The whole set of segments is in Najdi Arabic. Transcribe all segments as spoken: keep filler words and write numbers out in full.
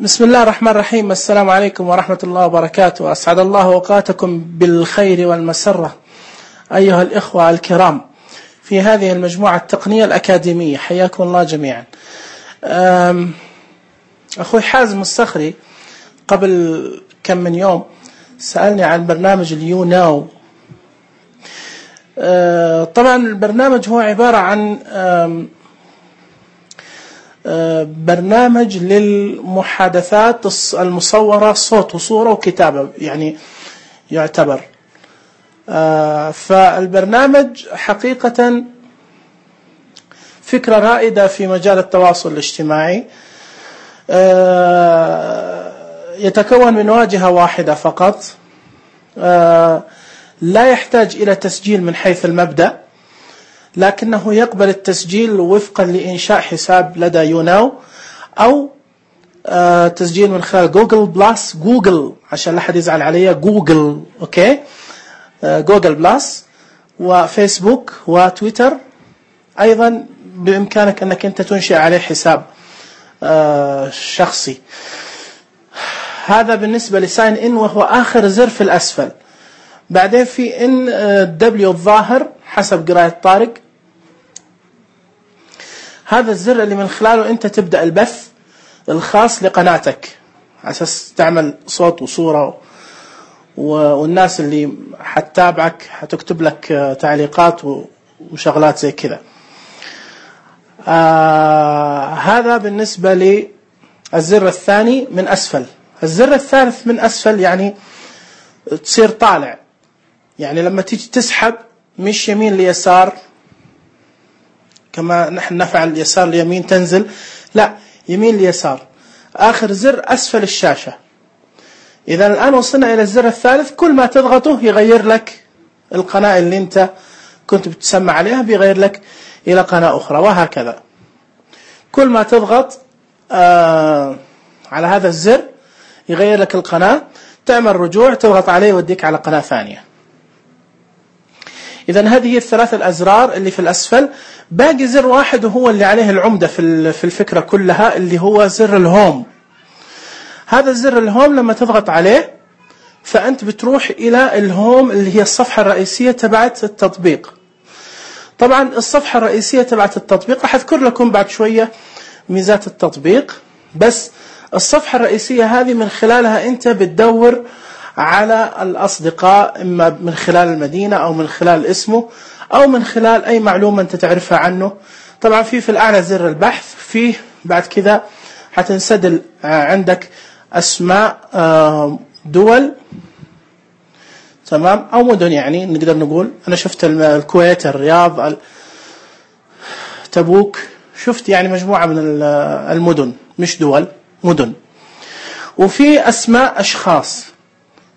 بسم الله الرحمن الرحيم. السلام عليكم ورحمة الله وبركاته. أسعد الله أوقاتكم بالخير والمسرة أيها الإخوة الكرام في هذه المجموعة التقنية الأكاديمية، حياكم الله جميعا. أخوي حازم الصخري قبل كم من يوم سألني عن برنامج اليو ناو. طبعا البرنامج هو عبارة عن برنامج للمحادثات المصورة صوت وصورة وكتابة، يعني يعتبر. فالبرنامج حقيقة فكرة رائدة في مجال التواصل الاجتماعي. يتكون من واجهة واحدة فقط، لا يحتاج إلى تسجيل من حيث المبدأ، لكنه يقبل التسجيل وفقا لإنشاء حساب لدى يوناو أو تسجيل من خلال جوجل بلس، جوجل عشان لا حد يزعل عليا، جوجل أوكي، جوجل بلس وفيسبوك وتويتر. أيضا بإمكانك أنك أنت تنشئ عليه حساب شخصي. هذا بالنسبة لساين إن، وهو آخر زر في الأسفل. بعدين في إن دبليو الظاهر حسب قراءة طارق، هذا الزر اللي من خلاله أنت تبدأ البث الخاص لقناتك على أساس تعمل صوت وصورة، والناس اللي حتتابعك حتكتب لك تعليقات وشغلات زي كذا. آه هذا بالنسبة للزر الثاني من أسفل. الزر الثالث من أسفل يعني تصير طالع، يعني لما تيجي تسحب مش يمين ليسار كما نحن نفعل يسار ليمين تنزل، لا، يمين ليسار. آخر زر أسفل الشاشة. إذا الآن وصلنا إلى الزر الثالث، كل ما تضغطه يغير لك القناة اللي أنت كنت بتسمع عليها، بيغير لك إلى قناة أخرى، وهكذا. كل ما تضغط آه على هذا الزر يغير لك القناة، تعمل رجوع تضغط عليه يوديك على قناة ثانية. إذن هذه الثلاث الأزرار اللي في الأسفل. باقي زر واحد وهو اللي عليه العمدة في الفكرة كلها، اللي هو زر الهوم. هذا الزر الهوم لما تضغط عليه فأنت بتروح إلى الهوم اللي هي الصفحة الرئيسية تبعت التطبيق. طبعا الصفحة الرئيسية تبعت التطبيق راح أذكر لكم بعد شوية ميزات التطبيق، بس الصفحة الرئيسية هذه من خلالها أنت بتدور على الأصدقاء، إما من خلال المدينة أو من خلال اسمه أو من خلال أي معلومة أنت تعرفها عنه. طبعا في في الأعلى زر البحث، فيه بعد كذا حتنسدل عندك أسماء دول، تمام، أو مدن، يعني نقدر نقول. أنا شفت الكويت، الرياض، تبوك، شفت يعني مجموعة من المدن، مش دول، مدن. وفي أسماء أشخاص،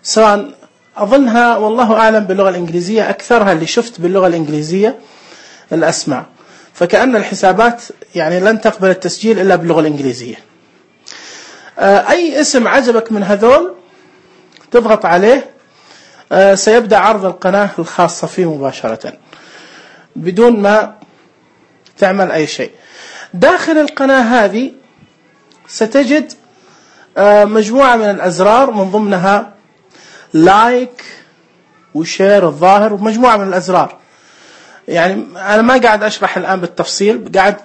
سواء أظنها والله أعلم باللغة الإنجليزية، أكثرها اللي شفت باللغة الإنجليزية الأسماء. فكأن الحسابات يعني لن تقبل التسجيل إلا باللغة الإنجليزية. أي اسم عجبك من هذول تضغط عليه، سيبدأ عرض القناة الخاصة فيه مباشرة بدون ما تعمل أي شيء. داخل القناة هذه ستجد مجموعة من الأزرار، من ضمنها لايك وشير الظاهر، ومجموعة من الأزرار. يعني أنا ما قاعد أشرح الآن بالتفصيل، قاعد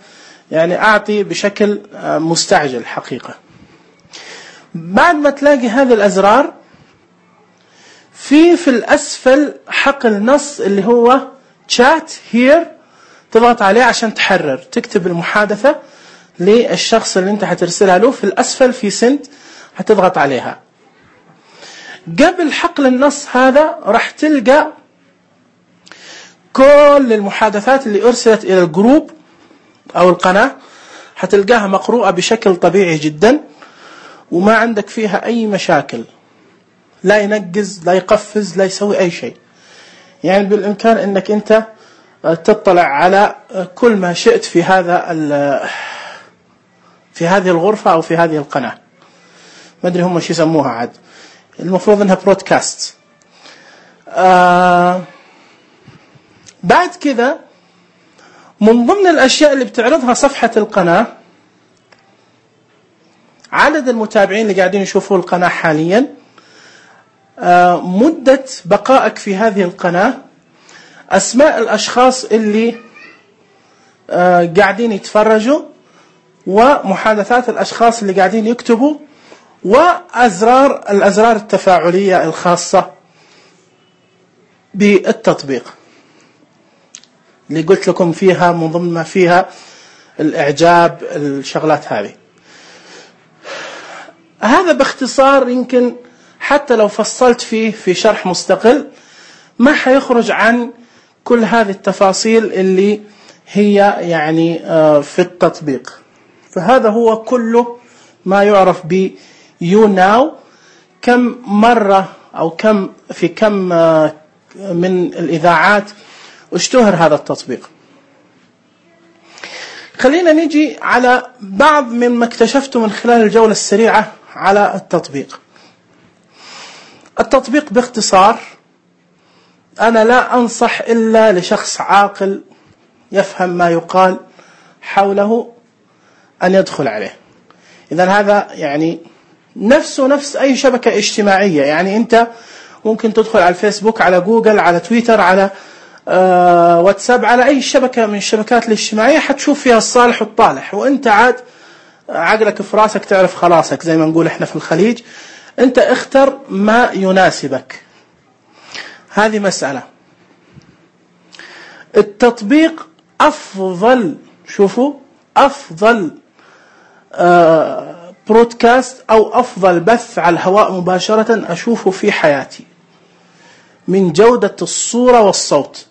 يعني أعطي بشكل مستعجل حقيقة. بعد ما تلاقي هذه الأزرار، في في الأسفل حقل نص اللي هو chat here، تضغط عليه عشان تحرر، تكتب المحادثة للشخص اللي انت حترسلها له. في الأسفل في سنت حتضغط عليها. قبل حقل النص هذا راح تلقى كل المحادثات اللي أرسلت إلى الجروب أو القناة، حتلقاها مقروءة بشكل طبيعي جدا، وما عندك فيها أي مشاكل، لا ينقز، لا يقفز، لا يسوي أي شيء. يعني بالإمكان أنك أنت تطلع على كل ما شئت في هذا في هذه الغرفة أو في هذه القناة. ما أدري هم شو يسموها عاد، المفروض أنها برودكاست. آه بعد كذا من ضمن الأشياء اللي بتعرضها صفحة القناة عدد المتابعين اللي قاعدين يشوفوا القناة حاليا، مدة بقائك في هذه القناة، أسماء الأشخاص اللي قاعدين يتفرجوا، ومحادثات الأشخاص اللي قاعدين يكتبوا، وأزرار الأزرار التفاعلية الخاصة بالتطبيق اللي قلت لكم فيها من ضمن ما فيها الإعجاب، الشغلات هذه. هذا باختصار، يمكن حتى لو فصلت فيه في شرح مستقل ما حيخرج عن كل هذه التفاصيل اللي هي يعني في التطبيق. فهذا هو كله ما يعرف ب YouNow. كم مرة أو كم في كم من الإذاعات اشتهر هذا التطبيق. خلينا نيجي على بعض مما اكتشفته من خلال الجولة السريعة على التطبيق. التطبيق باختصار، أنا لا أنصح إلا لشخص عاقل يفهم ما يقال حوله أن يدخل عليه. إذن هذا يعني نفسه نفس أي شبكة اجتماعية. يعني أنت ممكن تدخل على الفيسبوك، على جوجل، على تويتر، على آه واتساب، على أي شبكة من الشبكات الاجتماعية حتشوف فيها الصالح والطالح، وأنت عاد عقلك في راسك تعرف خلاصك زي ما نقول إحنا في الخليج. أنت اختر ما يناسبك. هذه مسألة. التطبيق أفضل، شوفوا، أفضل آه برودكاست أو أفضل بث على الهواء مباشرة أشوفه في حياتي من جودة الصورة والصوت،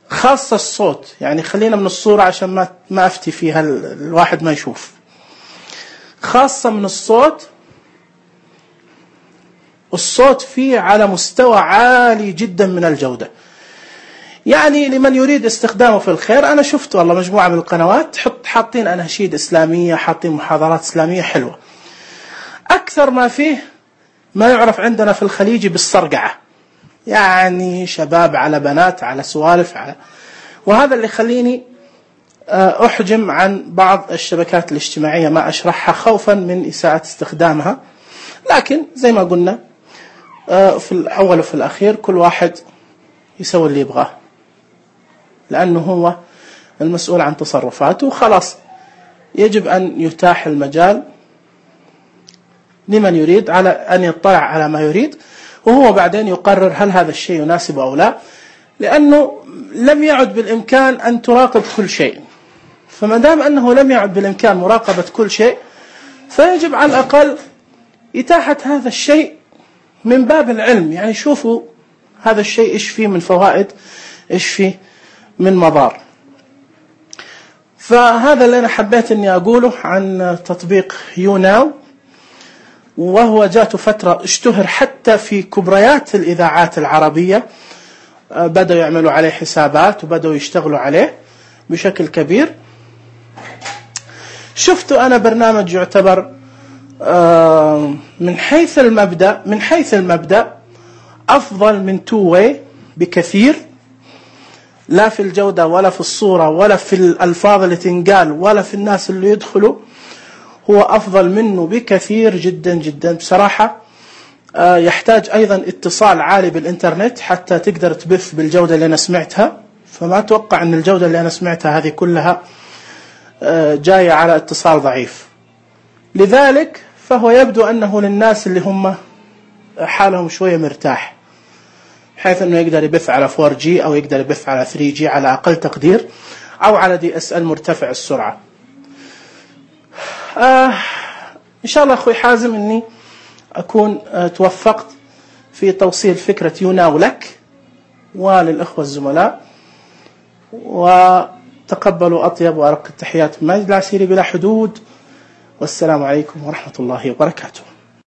خاصة الصوت. يعني خلينا من الصورة عشان ما ما أفتي فيها الواحد ما يشوف. خاصة من الصوت، الصوت فيه على مستوى عالي جدا من الجودة. يعني لمن يريد استخدامه في الخير، أنا شفت والله مجموعة من القنوات حط حاطين أناشيد إسلامية، حاطين محاضرات إسلامية حلوة. أكثر ما فيه ما يعرف عندنا في الخليج بالصرقعة، يعني شباب على بنات على سوالف على، وهذا اللي خليني أحجم عن بعض الشبكات الاجتماعية ما أشرحها خوفا من إساءة استخدامها. لكن زي ما قلنا في الأول وفي الأخير كل واحد يسوي اللي يبغاه، لأنه هو المسؤول عن تصرفاته، وخلاص يجب أن يتاح المجال لمن يريد على أن يطلع على ما يريد، وهو بعدين يقرر هل هذا الشيء يناسبه أو لا، لأنه لم يعد بالإمكان أن تراقب كل شيء. فما دام أنه لم يعد بالإمكان مراقبة كل شيء، فيجب على الأقل إتاحة هذا الشيء من باب العلم. يعني شوفوا هذا الشيء إيش فيه من فوائد، إيش فيه من مضار. فهذا اللي أنا حبيت أني أقوله عن تطبيق YouNow، وهو جاته فترة اشتهر حتى في كبريات الإذاعات العربية، بدأوا يعملوا عليه حسابات وبدأوا يشتغلوا عليه بشكل كبير. شفتوا أنا برنامج يعتبر من حيث المبدأ من حيث المبدأ أفضل من تو واي بكثير، لا في الجودة ولا في الصورة ولا في الألفاظ اللي تنقال ولا في الناس اللي يدخلوا. هو أفضل منه بكثير جدا جدا بصراحة. يحتاج أيضا اتصال عالي بالإنترنت حتى تقدر تبث بالجودة اللي أنا سمعتها. فما أتوقع أن الجودة اللي أنا سمعتها هذه كلها جاية على اتصال ضعيف. لذلك فهو يبدو أنه للناس اللي هم حالهم شوية مرتاح، حيث أنه يقدر يبث على فور جي أو يقدر يبث على ثري جي على أقل تقدير، أو على دي اس ال مرتفع السرعة. آه إن شاء الله أخوي حازم أني أكون آه توفقت في توصيل فكرة YouNow لك وللأخوة الزملاء، وتقبلوا أطيب وأرق التحيات من ماجد العسيري بلا حدود، والسلام عليكم ورحمة الله وبركاته.